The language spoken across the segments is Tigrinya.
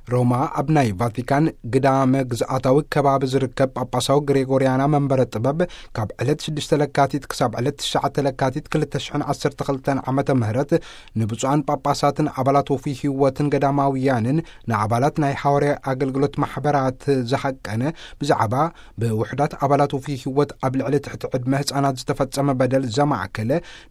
ሮማ ኣብ ናይ ቫቲካን ግዳመ ግዝኣታዊ ከባቢ ዝርከብ ጳጳሳዊ ግሬጎርያና መንበረ ጥበብ ካብ ዕለት ሽዱሽተ ለካቲት ክሳብ ዕለት ትሽዓተ ለካቲት ክልተ ሽሕን ዓሰርተ ክልተን ዓመተ ምህረት ንብፁዓን ጳጳሳትን ኣባላት ወፉይ ህይወትን ገዳማውያንን ንኣባላት ናይ ሓዋርያ ኣገልግሎት ማሕበራት ዝሓቀነ ብዛዕባ ብውሕዳት ኣባላት ወፉይ ህይወት ኣብ ልዕሊ ትሕቲ ዕድመ ህፃናት ዝተፈጸመ በደል ዘማእከለ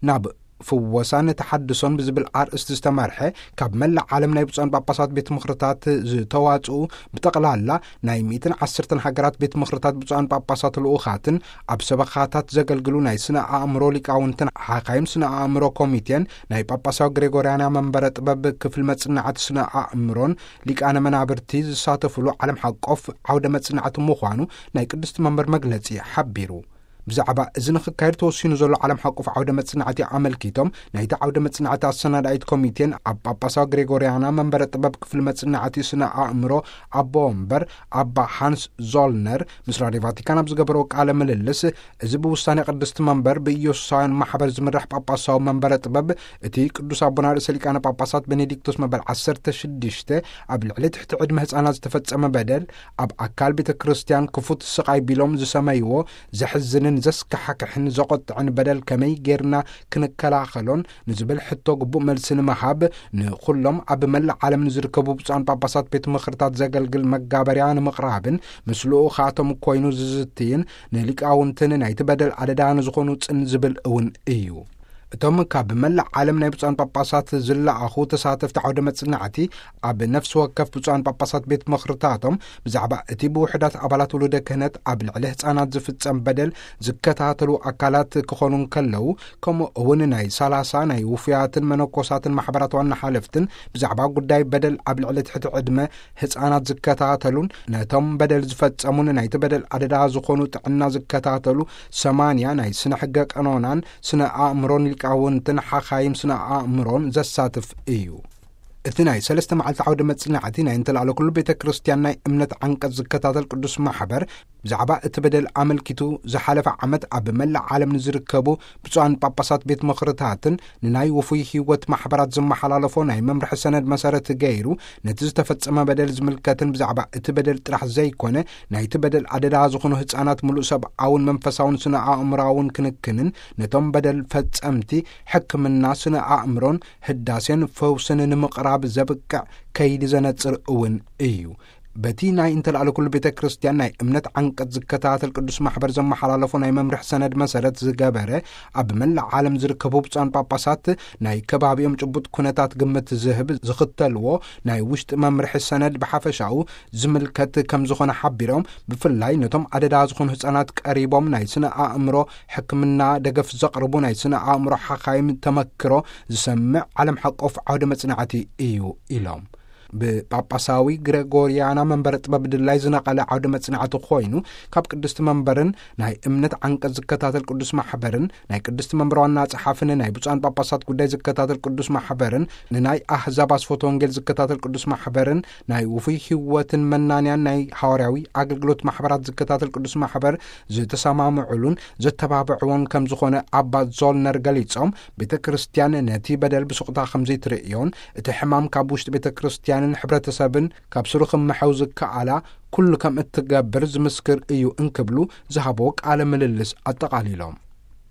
ናብ ፍወሳን ተሓድሶን ብዝብል ኣርእስቲ ዝተመርሐ ካብ መላእ ዓለም ናይ ብፁዓን ጳጳሳት ቤት ምኽርታት ዝተዋጽኡ ብጠቕላላ ናይ ሚእትን ዓሰርተን ሃገራት ቤት ምኽርታት ብፁዓን ጳጳሳት ልኡኻትን ኣብ ሰበኻታት ዘገልግሉ ናይ ስነ ኣእምሮ ሊቃውንትን ሓኻይም ስነ ኣእምሮ ኮሚቴን ናይ ጳጳሳዊ ግሬጎርያና መንበረ ጥበብ ክፍል መጽናዕቲ ስነ ኣእምሮን ሊቃነ መናብርቲ ዝሳተፍሉ ዓለም ሓቆፍ ዓውደ መጽናዕቲ ምዃኑ ናይ ቅድስቲ መንበር መግለጺ ሓቢሩ። ብዛዕባ እዚ ንኽካየድ ተወሲኑ ዘሎ ዓለም ሓቆፍ ዓውደ መጽናዕቲ ኣመልኪቶም ናይቲ ዓውደ መጽናዕቲ ኣሰናዳኢት ኮሚቴን ኣብ ጳጳሳዊ ግሬጎርያና መንበረ ጥበብ ክፍሊ መጽናዕቲ ስነ ኣእምሮ ኣቦ ወንበር ኣባ ሃንስ ዞልነር ምስ ራድዮ ቫቲካን ኣብ ዝገበረዎ ቃለ ምልልስ፣ እዚ ብውሳኔ ቅድስቲ መንበር ብኢየሱሳውያን ማሕበር ዝምራሕ ጳጳሳዊ መንበረ ጥበብ እቲ ቅዱስ ኣቦና ርእሰ ሊቃነ ጳጳሳት ቤኔዲክቶስ መበል ዓሰርተ ሽዱሽተ ኣብ ልዕሊ ትሕቲ ዕድመ ህፃናት ዝተፈጸመ በደል ኣብ ኣካል ቤተ ክርስቲያን ክፉት ስቓይ ቢሎም ዝሰመይዎ ዘሕዝንን ዘስካሕክሕን ዘቖጥዕን በደል ከመይ ጌርና ክንከላኸሎን ንዝብል ሕቶ ግቡእ መልሲ ንምሃብ ንኹሎም ኣብ መላእ ዓለም ንዝርከቡ ብፁዓን ጳጳሳት ቤት ምኽርታት ዘገልግል መጋበርያ ንምቕራብን ምስ ልኡኻቶም ኮይኑ ዝዝትይን ንሊቃውንትን ናይቲ በደል ኣደዳ ንዝኾኑ ጽን ዝብል እውን እዩ። እቶም ካብ መላእ ዓለም ናይ ብፁዓን ጳጳሳት ዝለኣኹ ተሳተፍቲ ዓውደ መጽናዕቲ ኣብ ነፍሲ ወከፍ ብፁዓን ጳጳሳት ቤት ምኽርታቶም ብዛዕባ እቲ ብውሕዳት ኣባላት ውሉደ ክህነት ኣብ ልዕሊ ህፃናት ዝፍጸም በደል ዝከታተሉ ኣካላት ክኾኑ እንከለዉ፣ ከምኡ እውን ናይ ሰላሳ ናይ ውፉያትን መነኮሳትን ማሕበራት ዋና ሓለፍትን ብዛዕባ ጉዳይ በደል ኣብ ልዕሊ ትሕቲ ዕድመ ህፃናት ዝከታተሉን ነቶም በደል ዝፈጸሙን ናይቲ በደል ኣደዳ ዝኾኑ ጥዕና ዝከታተሉ ሰማንያ ናይ ስነ ሕገ ቀኖናን ስነ ኣእምሮን ሊቃውንትን ሓኻይም ስነ ኣእምሮን ዘሳትፍ እዩ። እቲ ናይ ሰለስተ መዓልቲ ዓውደ መጽናዕቲ ናይ እንተላዕለ ኩሉ ቤተ ክርስቲያን ናይ እምነት ዓንቀጽ ዝከታተል ቅዱስ ማሕበር ብዛዕባ እቲ በደል ኣመልኪቱ ዝሓለፈ ዓመት ኣብ መላእ ዓለም ንዝርከቡ ብፁዓን ጳጳሳት ቤት ምኽርታትን ንናይ ውፉይ ህይወት ማሕበራት ዝመሓላለፎ ናይ መምርሒ ሰነድ መሰረት ገይሩ ነቲ ዝተፈጸመ በደል ዝምልከትን ብዛዕባ እቲ በደል ጥራሕ ዘይኮነ ናይቲ በደል ኣደዳ ዝኾኑ ህፃናት ምሉእ ሰብኣውን መንፈሳውን ስነ ኣእምራውን ክንክንን ነቶም በደል ፈጸምቲ ሕክምና ስነ ኣእምሮን ህዳሴን ፈውስን ንምቕራብ ዘብቅዕ ከይዲ ዘነጽር እውን እዩ። በቲ ናይ እንተላዕለ ኩሉ ቤተ ክርስቲያን ናይ እምነት ዓንቀጽ ዝከታተል ቅዱስ ማሕበር ዘመሓላለፎ ናይ መምርሒ ሰነድ መሰረት ዝገበረ ኣብ መላእ ዓለም ዝርከቡ ብፁዓን ጳጳሳት ናይ ከባቢኦም ጭቡጥ ኩነታት ግምት ዝህብ ዝኽተልዎ ናይ ውሽጢ መምርሒ ሰነድ ብሓፈሻኡ ዝምልከት ከም ዝኾነ ሓቢሮም፣ ብፍላይ ነቶም ኣደዳ ዝኾኑ ህፃናት ቀሪቦም ናይ ስነ ኣእምሮ ሕክምና ደገፍ ዘቕርቡ ናይ ስነ ኣእምሮ ሓኻይም ተመክሮ ዝሰምዕ ዓለም ሓቆፍ ዓውደ መጽናዕቲ እዩ ኢሎም። ብጳጳሳዊ ግሬጎርያና መንበረ ጥበብ ድላይ ዝነቐለ ዓውደ መጽናዕቲ ኮይኑ ካብ ቅድስቲ መንበርን ናይ እምነት ዓንቀጽ ዝከታተል ቅዱስ ማሕበርን ናይ ቅድስቲ መንበር ዋና ጸሓፍን ናይ ብፁዓን ጳጳሳት ጉዳይ ዝከታተል ቅዱስ ማሕበርን ንናይ ኣህዛብ ኣስፎቶ ወንጌል ዝከታተል ቅዱስ ማሕበርን ናይ ውፉይ ህይወትን መናንያን ናይ ሃዋርያዊ ኣገልግሎት ማሕበራት ዝከታተል ቅዱስ ማሕበር ዝተሰማምዑሉን ዘተባብዕዎን ከም ዝኾነ ኣባ ዞልነር ገሊጾም፣ ቤተ ክርስቲያን ነቲ በደል ብሱቕታ ከም ዘይትርእዮን እቲ ሕማም ካብ ውሽጢ ቤተ ክርስቲያንን ሕብረተሰብን ካብ ስሩ ክምሐው ዝከኣላ ኩሉ ከም እትገብር ዝምስክር እዩ እንክብሉ ዝሃቦ ቃለ ምልልስ ኣጠቓሊሎም።